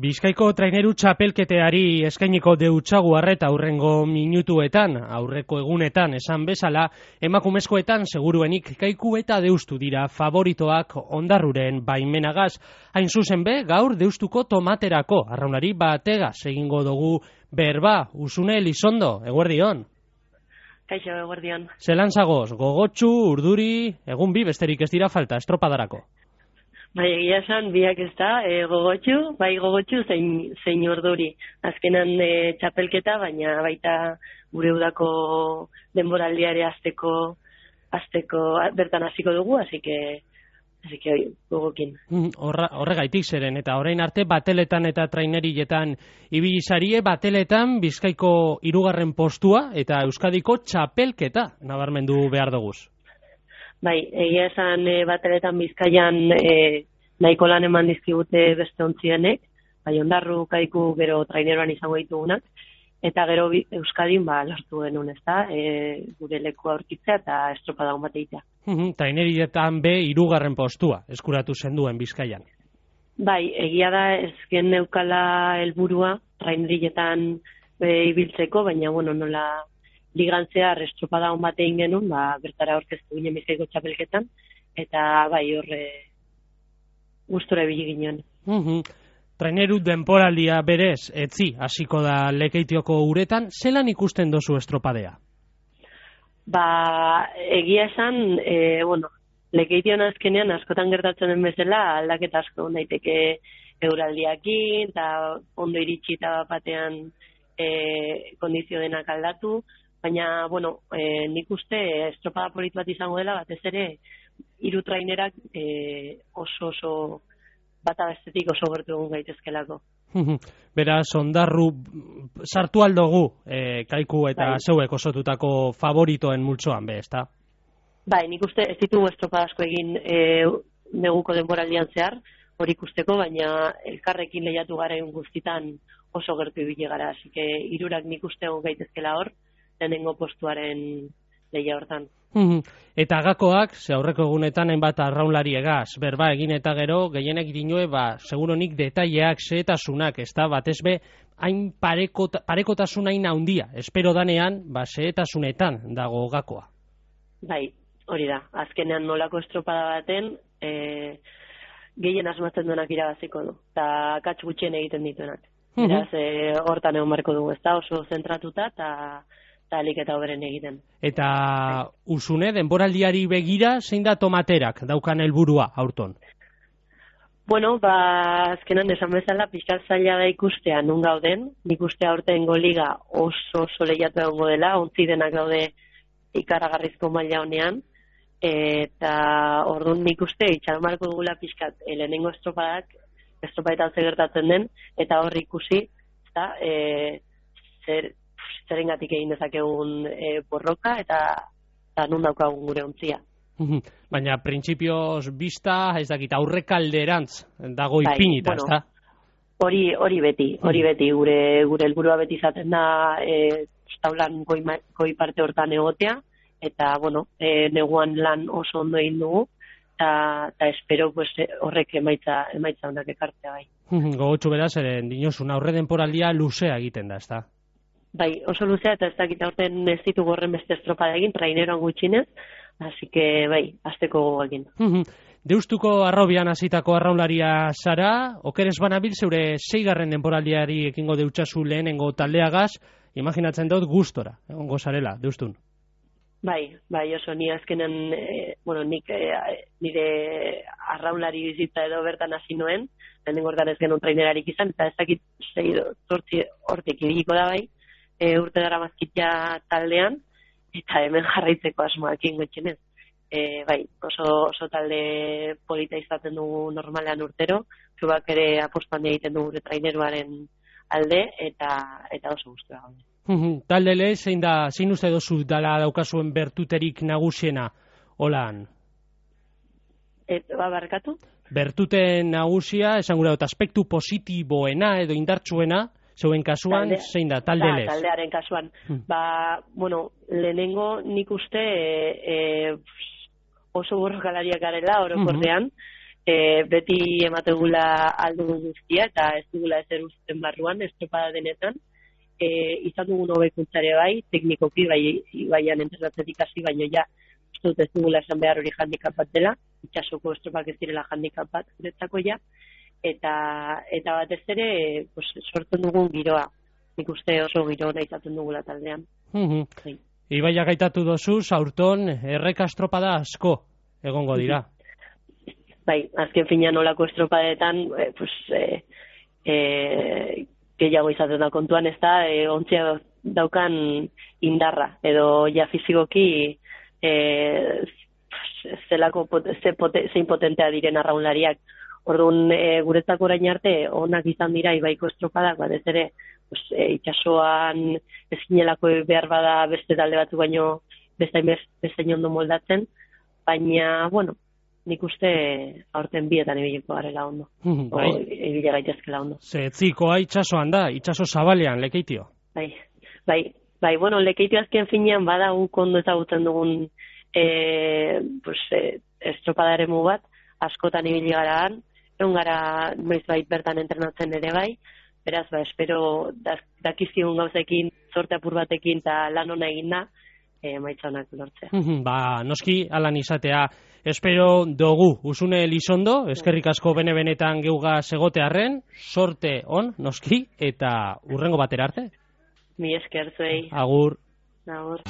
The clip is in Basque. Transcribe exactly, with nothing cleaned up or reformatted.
Bizkaiko traineru txapelketeari eskainiko deutsagu arreta aurrengo minutuetan, aurreko egunetan esan bezala, emakumezkoetan seguruenik Kaiku eta Deustu dira favoritoak Ondarruren baimenagaz. Hain zuzen be, gaur Deustuko tomaterako arraunari bategaz egingo dugu berba. Usune Elizondo, eguerdion. Kaixo, eguerdion. Zelan zagoz, gogotsu, urduri, egun bi besterik ez dira falta, estropadarako. Bai, egia esan, biak ez da, e, gogotxu, bai gogotxu, zein, zein urduri. Azkenan e, txapelketa, baina baita gure udako denboraldiare azteko, azteko bertan hasiko dugu, así que, así que gogokin. Horra, horregaitik zeren, eta orain arte bateletan eta trainerietan ibili zarie, bateletan Bizkaiko hirugarren postua eta Euskadiko txapelketa nabarmendu behar duguz. Bai, egia esan e, bateletan Bizkaian e, nahiko lan eman dizkigute beste ontzienek, bai Ondarru, Kaiku, gero traineroan izango ditugunak, eta gero Euskadin ba, lortu genuen, ez da, e, gure lekua aurkitzea eta estropada hon bat egitea. Uh-huh, trainerietan be hirugarren postua eskuratu zenduen Bizkaian. Bai, egia da ezken neukala helburua trainerietan e, ibiltzeko, baina bueno, nola ligantzea estropada hon bat egin genuen, ba, bertara aurkeztu ginen Bizkaiko txapelketan, eta bai horre gustora ibili ginen. Uh-huh. Traineru denporaldia berez, etzi, hasiko da Lekeitioko uretan, zelan ikusten dozu estropadea? Ba, egia esan, e, bueno, Lekeition azkenean askotan gertatzen den bezala, aldaketa asko daiteke euraldiakin, eta ondo iritsi eta batean e, kondizio denak aldatu, baina, bueno, e, nik uste estropada polit bat izango dela, batez ere, hiru trainerak e, oso oso bata bestetik oso gertu egun gaitezkelako. Beraz, Ondarru sartu aldogu e, Kaiku eta bai. Zeuek osotutako favoritoen multzoan be, ezta? Bai, nik uste ez ditugu estropada asko egin e, neguko denboraldian zehar, hori ikusteko, baina elkarrekin lehiatu garen guztitan oso gertu ibili gara, así que hirurak nik uste egun gaitezkela hor, lehenengo postuaren lehia hortan. Eta gakoak, ze aurreko egunetan hainbat arraunlari egaz, berba egin eta gero, gehienek dinue, ba, seguronik detaileak, zehetasunak, ez da, batez be, hain parekota, parekotasun hain handia, espero danean, ba, zehetasunetan dago gakoa. Bai, hori da, azkenean nolako estropada baten, e, gehien asmatzen duenak irabaziko du, eta katx gutxien egiten dituenak. Beraz, e, hortan egon marko dugu, ez da, oso zentratuta, eta eta alik eta oberen egiten. Eta Usune, denboraldiari begira, zein da tomaterak daukan helburua aurton? Bueno, ba, azkenan esan bezala, pixkat zaila da ikustea nun gauden, nik uste aurtengo liga oso oso lehiatu egongo dela, ontzi denak daude ikaragarrizko maila honean, eta orduan nik uste itxaron marko dugula pixkat, lehenengo estropadak, estropadetan zer gertatzen den, eta hor ikusi, eta e, zer zerengatik egin dezakegun e, borroka eta, eta nun daukagun gure ontzia. Baina printzipioz bista, ez dakit, aurrekalderantz dago ipinita, bai, ez da? Bueno, hori, hori beti, hori beti, gure gure helburua beti izaten da e, taulan goi, goi parte hortan egotea, eta, bueno, e, neguan lan oso ondo egin dugu, eta, eta espero pues, horrek emaitza, emaitza honak ekartzea bai. Gogotsu beraz, eren dinozun, aurre denporaldia luzea egiten da, ez da? Bai, oso luzea eta ez dakit aurten ez ditugu horren beste estropada egin, traineroan gutxinez, así que bai, azteko gogoekin. Deustuko arrobian hasitako arraunlaria zara, okeres banabil zeure seigarren denporaldiari ekingo deutsazu lehenengo taldeagaz, imaginatzen dut gustora, egongo zarela, Deustun. Bai, bai, oso ni azkenen, e, bueno, nik e, nire arraunlari bizitza edo bertan hasi noen, lehenengo hortan ez genuen trainerarik izan, eta ez dakit zei zortzi hortik ibiliko da bai, E, urte dara mazkitia taldean, eta hemen jarraitzeko asmoakin gutxenez. E, bai, oso, oso talde polita izaten dugu normalean urtero, klubak ere apostu handia egiten dugu gure traineruaren alde, eta eta oso gustura gaude. Talde le, zein da, zein uste dozu dala daukazuen bertuterik nagusiena, holan? Et, ba, barkatu? Bertuten nagusia, esan gura dut, aspektu positiboena edo indartsuena, zeuen kasuan, Talde, zein da, talde lez? Taldearen kasuan. Hmm. Ba, bueno, lehenengo nik uste e, e, oso borrokalariak garela orokorrean, mm-hmm. e, beti emategula aldugun guztia, eta ez dugula ezer uzten barruan, estropada denetan, e, izan dugun hobekuntzare bai, teknikoki, bai, baian entrenatzetik hasi, baino ja, uste dut ez dugula esan behar hori handikap bat dela, itxasoko estropak ez direla handikap bat guretzako ja, eta, eta batez ere, pues, sortzen dugun giroa, nik uste oso giro nahi izaten dugula taldean. Mm -hmm. Ibaia gaitatu dozu, aurton erreka estropada asko egongo dira. Bai, azken finean olako estropadetan, e, pues, e, e, gehiago izaten da kontuan, ez da, e, ontzia daukan indarra, edo ja fizikoki e, zelako, ze pote, zein potentea diren arraunlariak. Orduan, e, guretzako orain arte, onak izan dira Ibaiko estropadak, batez ere, pues, e, itxasoan ezinelako behar bada beste talde batzu baino beste beste ondo moldatzen, baina, bueno, nik uste aurten bietan ibiliko garela ondo. Bai. O ibile gaitezkela ondo. Ze etzikoa itxasoan da, itxaso zabalean, Lekeitio. Bai, bai, bai, bueno, Lekeitio azken finean bada un kondo ezagutzen dugun e, pues, e, estropadaremu bat, askotan ibili garaan, egon gara noiz bait bertan entrenatzen ere bai, beraz, ba, espero dakizigun gauzekin, zorte apur batekin eta lan ona eginda, e, maitzanak lortzea. Ba, noski, alan izatea, espero dugu, Usune Elizondo, eskerrik asko bene-benetan geuga segotearren, sorte on, noski, eta urrengo batera arte. Mi esker zuei. Agur. Agur.